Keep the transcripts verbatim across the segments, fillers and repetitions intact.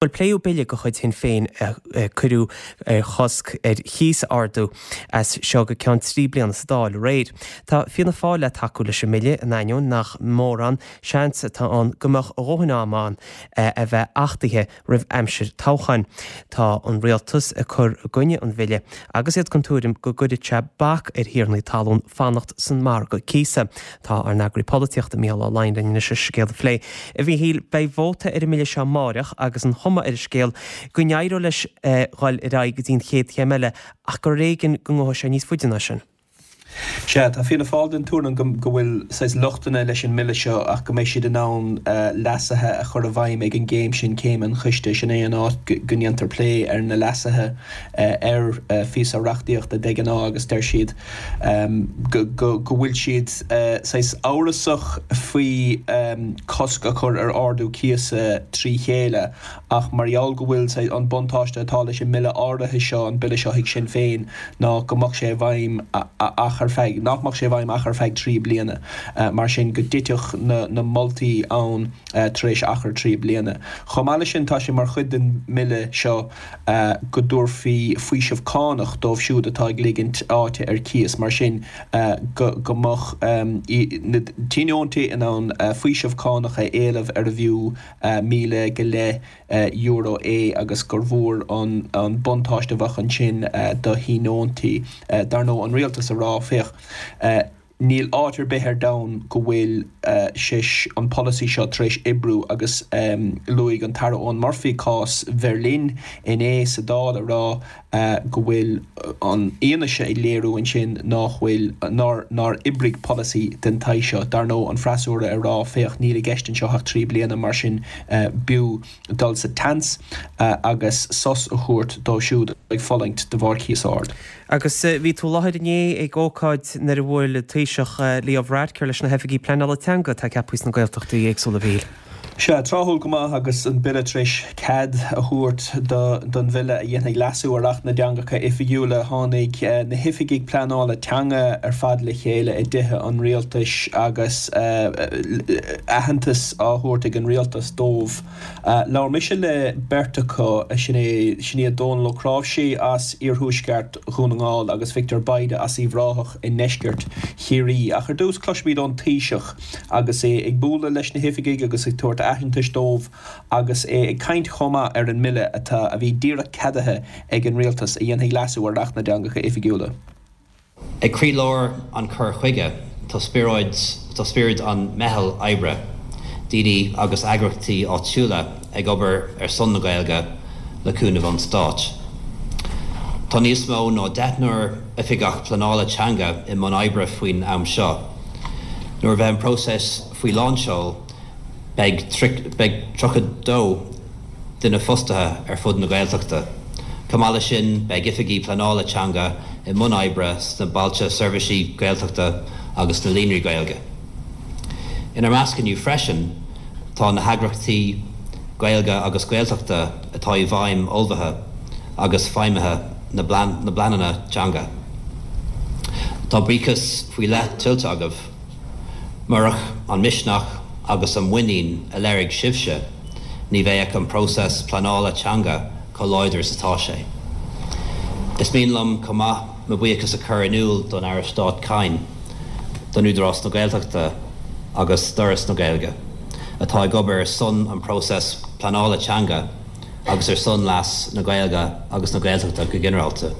Bhuel, pléadh bille de chuid Shinn Féin a cuireadh ar chosc ar chíos a ardú as seo go ceann trí bliana sa Dáil aréir. Tá Fianna Fáil le tacú leis an mbille in ainneoin nach mórán seans atá ann go mbeadh a dhóthain ama ann a bheith achtaithe roimh aimsir toghcháin. Tá an rialtas ag cur i gcoinne an bhille agus iad den tuairim go gcuirfidh sé bac ar thiarnaí talún fanacht san margadh cíosa. Tá ár n-eagraí polaitíochta Mícheál Ó Laighin linn anois an scéal a phlé. A Mhíchíl, beidh vóta ar an mbille seo amáireach agus an chuma ar an scéal go n-éireoidh leis dhul ar aghaidh go dtí an chéad chéim eile ach gur ar éigean go ngabhfaidh sé níos faide ná sin. Sea, tá Fianna Fáil den tuairim go go bhfuil saghas lochtanna leis an mbille seo ach go mbeidh siad in ann leasuithe a chur i bhfeidhm ag an gcéim sin, céim an choiste. Sin é an áit go ndéantar plé ar na leasuithe ar phíosa reachtaíochta de ghnáth agus deir siad go go go bhfuil siad saghas amhrasach faoi cosc a chur ar ardú cíosa trí chéile ach mar gheall go bhfuil saghas an buntáiste atá leis an mbille áirithe seo, an bille seo ag Sinn Féin, ná go mbeadh sé i bhfeidhm ach ar feadh, nach mbeadh sé i bhfeidhm ach ar feadh trí bliana, mar sin go dtitfeadh na na moltaí ann tar éis achar trí bliana. Chomh maith leis sin, tá sé mar chuid den mbille seo go dtabharfaí faoiseamh cánach dóibh siúd atá ag ligint áite ar cíos, mar sin go go mbeadh na tionóntaí in ann faoiseamh cánach a éileamh arbh fhiú míle go leith euro é agus gur mhór an buntáiste a bheadh ansin do thionóntaí. Dar ndóigh, an rialtas a rá, féach, níl áit ar bith ar domhan go bhfuil sé, an polasaí seo tar éis oibriú agus luaigh an tAire Eoghan Murphy cás Bheirlín inné sa Dáil a rá go bhfuil an fhianaise ag léiriú ansin nach bhfuil, nár, nár oibrigh polasaí den tsaghas seo. Dar ndóigh, an freasúra ag rá, féach, níl i gceist anseo ach trí bliana, mar sin b'fhiú dul sa tseans agus sos a thabhairt dóibh siúd ag fulaingt de bharr cíos ard. Agus bhí tú i láthair inné ag ócáid nuair a bhuail an Taoiseach Leo Varadkar leis na hoifigigh pleanála teanga atá ceaptha sna Gaeltachtaí éagsúla, a Mhíchíl. Sea, tráthúil go maith agus an Bille tar éis cead a thabhairt don bhille a dhéanfaidh leasú ar Acht na dTeangacha Oifigiúla, tháinig na hoifigigh pleanála teanga ar fad le chéile i dTithe an Rialtais agus aitheantas á thabhairt ag an Rialtas dóibh. Labhair mise le beirt acu, sin é, sin iad Dónal Ó Cnáimhsí as iarthuaisceart Dhún na nGall agus Victor Bayda as Uíbh Ráthach i ndeisceart Chiarraí. Ach ar dtús cloisfimid ón Taoiseach agus é ag bualadh leis na hoifigigh agus ag tabhairt aitheantais dóibh agus é ag caint chomh maith ar an mbille atá, a bhí díreach ceadaithe ag an Rialtas, a dhéanfaidh leasú ar Acht na dTeangacha Oifigiúla. Ag croílár an cur chuige tá spiorad, tá spiorad an meitheal oibre, daoine agus eagraíochtaí áitiúla ag obair ar son na Gaeilge le cúnamh ón Stát. Tá níos mó ná deichniúr oifigeach pleanála teanga i mbun oibre faoin am seo. Nuair a bheidh an próiseas faoi lánseol, beidh tríocha dó duine fostaithe ar fud na Gaeltachta. Chomh maith leis sin, beidh oifigigh pleanála teanga i mbun oibre sna Bailte Seirbhísí Gaeltachta agus sna Líonraí Gaeilge. Inár measc inniu freisin tá na heagraíochtaí Gaeilge agus Gaeltachta atá i bhfeidhm ullmhaithe agus feidhmithe na bpleananna teanga. Tá buíochas faoi leith tuillte agaibh. Murach an misneach agus an muinín a léirigh sibhse, ní bheadh an próiseas pleanála teanga chomh láidir is atá sé. Is mian liom chomh maith mo bhuíochas a chur in iúl don Aire Stáit Kyne, don Údarás na Gaeltachta agus d'Fhoras na Gaeilge, atá ag obair ar son an próiseas pleanála teanga agus ar son leas na Gaeilge agus na Gaeltachta go ginearálta.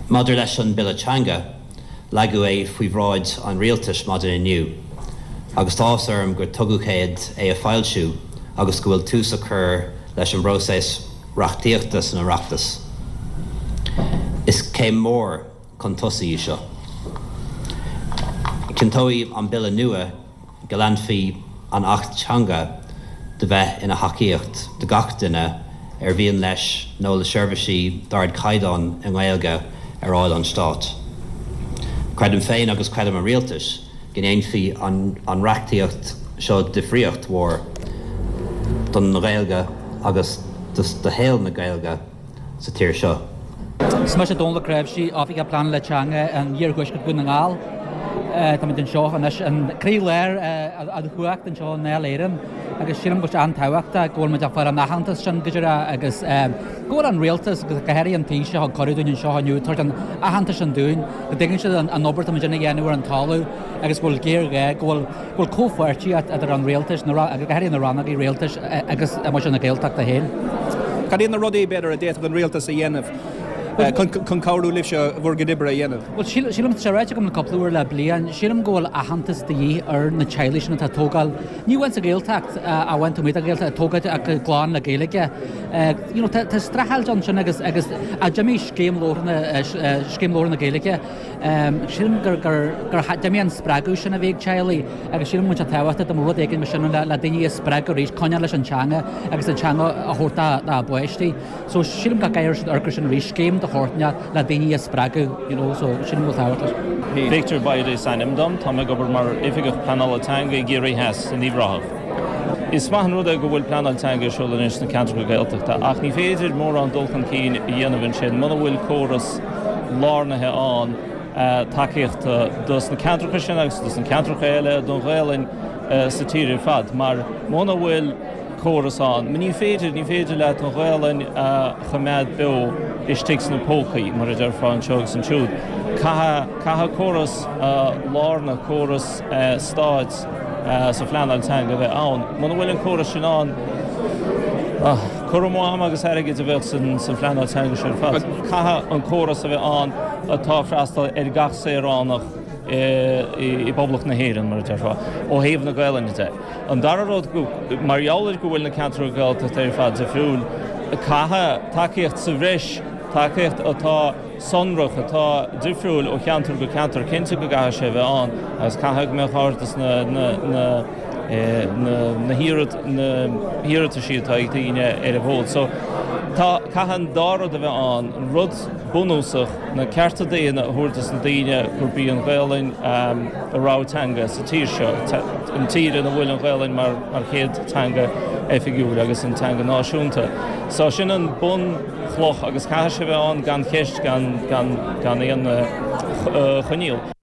Maidir leis an Bille Teanga, leagadh é faoi bhráid an Rialtais maidin inniu agus tá áthas orm gur tugadh cead é a foilsiú agus go bhfuil tús á chur leis an bpróiseas reachtaíochta san Oireachtas. Is céim mhór chun tosaigh í seo. Cinnteoidh an Bille nua go leanfaidh an Acht Teanga de bheith ina thacaíocht do gach duine ar mhian leis nó léi seirbhísí d'ardchaighdeán i nGaeilge ar fháil ón Stát. Creidim féin agus creideann an Rialtas go ndéanfaidh an reachtaíocht seo difríocht mhór don Ghaeilge agus do shaol na Gaeilge sa tír seo. Is mise Dónal Ó Cnáimhsí, Oifigeach Pleanála Teanga in Iarthuaisceart Dhún na nGall. Táimid anseo anois in croílár an chumhacht anseo i nDáil Éireann Agus sílim go bhfuil sé an-tábhachtach go bhfuil muid ag fáil an aitheantas sin go díreach agus go bhfuil an rialtas agus go háirithe an Taoiseach ag cuireadh dúinn anseo inniu tabhairt an aitheantas sin dúinn, go dtuigeann siad an obair atá muid ag déanamh ar an talamh agus go bhfuil géarghá, go bhfuil go bhfuil comhpháirtíocht idir an rialtas, na go háirithe na rannógaí rialtais agus muintir na Gaeltachta féin. Cad iad na rudaí, b'fhéidir, a d'fhéadfadh an rialtas a dhéanamh chun cabhrú libhse bhur gcuid oibre a dhéanamh? Bhuel, sílim, tá sé ráite agam le cúpla uair le bliain, sílim go bhfuil aitheantas de dhíth ar na teaghlaigh sin atá ag tógáil, ní amháin sa Ghaeltacht, amháin taobh amuigh den Ghaeltacht, ag tógáil ach gclann le Gaeilge. You know, tá tá streachailt ansin agus agus d'imigh scéim labhartha scéim labhartha na Gaeilge. Sílim gur gur gur d'imigh an spreagadh sin a bhí ag teaghlaigh agus sílim go bhfuil sé tábhachtach dá mbeadh rud éigin mar sin le le daoine a spreagadh arís coinneáil leis an teanga agus an teanga a thabhairt dá dá bpáistí. So sílim go gcaithfidh siad amharc air sin arís, scéim de shórt le daoine a spreagadh, you know, so sílim go bhfuil tábhacht leis. Victor Bayda is ainm dom, tá mé ag obair mar Oifigeach Pleanála Teanga i gCiarraí Theas in Uíbh Ráthach. Is maith an rud é go bhfuil pleanáil teanga ar siúl anois sna ceantracha Gaeltachta ach ní féidir mórán dul chun cinn a dhéanamh ansin muna bhfuil córas lárnaithe ann tacaíochta dos na ceantracha sin agus dos na ceantracha eile don Ghaelainn sa tír ar fad mar muna bhfuil córas ann. Ní féidir, ní féidir leat an Ghaelainn a choimeád beo istigh sna pócaí, mar a déarfá, anseo agus ansiúd. Caithfidh, caithfidh córas lárnach, córas stáit sa phleanáil teanga a bheith ann. Muna bhfuil an córas sin ann, cur amú ama agus airgid a bheadh san phleanáil teanga sin ar fad. Caithfidh an córas a bheith ann atá ag freastal ar gach saoránach i bPoblacht na hÉireann, mar a déarfá, ó thaobh na Gaelainne de. An dara rud, mar gheall ar go bhfuil na ceantracha Gaeltachta ar fad difriúil, caithfidh tacaíocht sa bhreis, tacaíocht atá sonrach, atá difriúil ó cheantar go ceantar, cinnte go gcaithfidh sé a bheith ann agus caithfidh go mbeadh aird as na na hiarrataisí atá ag daoine ar an bhfód. So, tá, caithfidh an dá rud a bheith ann, an rud bunúsach, na cearta daonna a thabhairt dos na daoine gurb í an Ghaelainn a rogha teanga sa tír seo, an tír ina bhfuil an Ghaelainn mar chéad teanga oifigiúil agus an teanga náisiúnta. So sin an bunchloch agus caithfidh sé a bheith ann gan cheist, gan aon choinníoll.